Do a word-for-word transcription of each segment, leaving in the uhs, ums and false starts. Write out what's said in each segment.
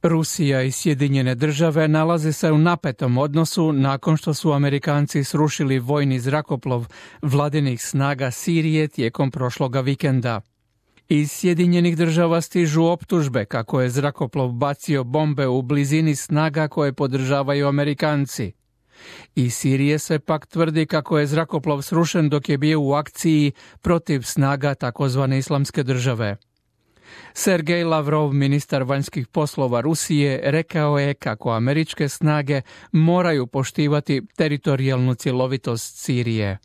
Rusija i Sjedinjene države nalaze se u napetom odnosu nakon što su Amerikanci srušili vojni zrakoplov vladinih snaga Sirije tijekom prošloga vikenda. Iz Sjedinjenih država stižu optužbe kako je zrakoplov bacio bombe u blizini snaga koje podržavaju Amerikanci. Iz Sirije se pak tvrdi kako je zrakoplov srušen dok je bio u akciji protiv snaga takozvane Islamske države. Sergej Lavrov, ministar vanjskih poslova Rusije, rekao je kako američke snage moraju poštivati teritorijalnu cjelovitost Sirije.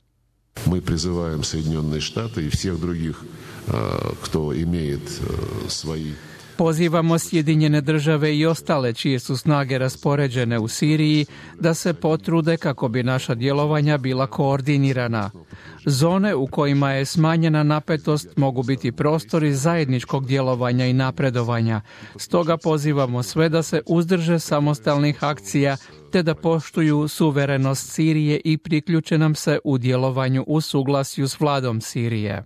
Mi prizivamo Sjedinjene štate i svih drugih kto imaju svoji. Pozivamo Sjedinjene države i ostale čije su snage raspoređene u Siriji da se potrude kako bi naša djelovanja bila koordinirana. Zone u kojima je smanjena napetost mogu biti prostori zajedničkog djelovanja i napredovanja. Stoga pozivamo sve da se uzdrže samostalnih akcija te da poštuju suverenost Sirije i priključe nam se u djelovanju u suglasju s vladom Sirije.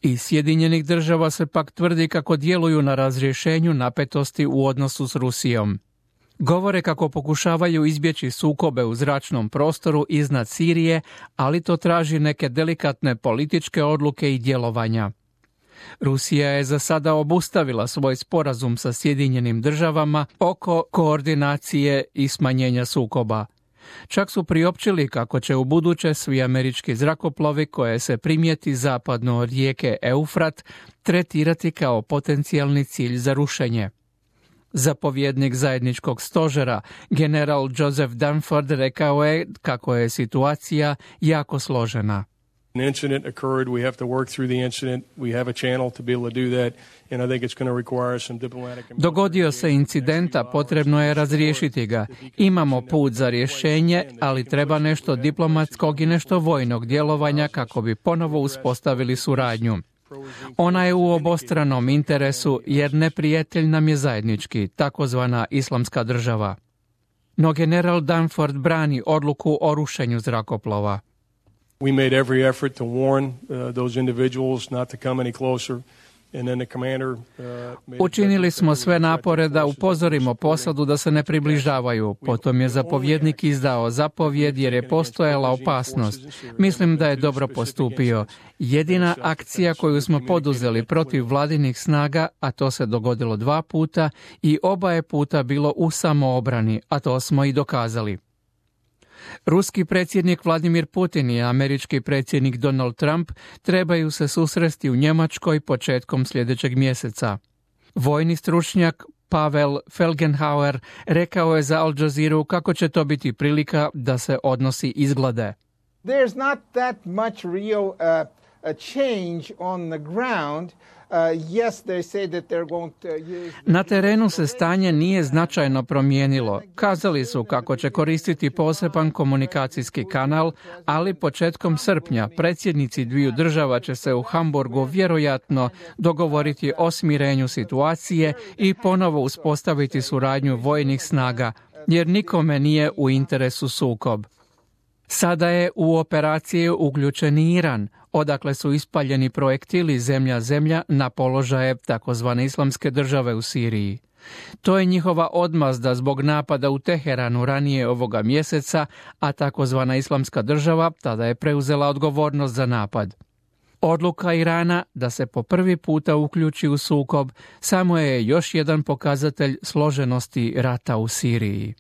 Iz Sjedinjenih država se pak tvrdi kako djeluju na razrješenju napetosti u odnosu s Rusijom. Govore kako pokušavaju izbjeći sukobe u zračnom prostoru iznad Sirije, ali to traži neke delikatne političke odluke i djelovanja. Rusija je za sada obustavila svoj sporazum sa Sjedinjenim državama oko koordinacije i smanjenja sukoba. Čak su priopćili kako će u buduće svi američki zrakoplovi koje se primijeti zapadno od rijeke Eufrat tretirati kao potencijalni cilj za rušenje. Zapovjednik zajedničkog stožera, general Joseph Dunford, rekao je kako je situacija jako složena. An incident occurred, we have to work through the incident. We have a channel to be able to do that, and I think it's going to require some diplomatic. Dogodio se incidenta, potrebno je razriješiti ga. Imamo put za rješenje, ali treba nešto diplomatskog i nešto vojnog djelovanja kako bi ponovo uspostavili suradnju. Ona je u obostranom interesu jer neprijatelj nam je zajednički, takozvana Islamska država. No general Dunford brani odluku o rušenju zrakoplova. We made every effort to warn uh, those individuals not to come any closer. And then the commander, uh, Učinili smo sve napore da upozorimo posadu da se ne približavaju. Potom je zapovjednik izdao zapovjed jer je postojala opasnost. Mislim da je dobro postupio. Jedina akcija koju smo poduzeli protiv vladinih snaga, a to se dogodilo dva puta i oba je puta bilo u samoobrani, a to smo i dokazali. Ruski predsjednik Vladimir Putin i američki predsjednik Donald Trump trebaju se susresti u Njemačkoj početkom sljedećeg mjeseca. Vojni stručnjak Pavel Felgenhauer rekao je za Al Jazeera kako će to biti prilika da se odnosi izglade. There's not that much real uh, a change on the ground. Uh, yes, they say that they're going to use... Na terenu se stanje nije značajno promijenilo. Kazali su kako će koristiti poseban komunikacijski kanal, ali početkom srpnja predsjednici dviju država će se u Hamburgu vjerojatno dogovoriti o smirenju situacije i ponovo uspostaviti suradnju vojnih snaga, jer nikome nije u interesu sukob. Sada je u operaciju uključen Iran, odakle su ispaljeni projektili zemlja-zemlja na položaje takozvane Islamske države u Siriji. To je njihova odmazda zbog napada u Teheranu ranije ovoga mjeseca, a takozvana Islamska država tada je preuzela odgovornost za napad. Odluka Irana da se po prvi puta uključi u sukob samo je još jedan pokazatelj složenosti rata u Siriji.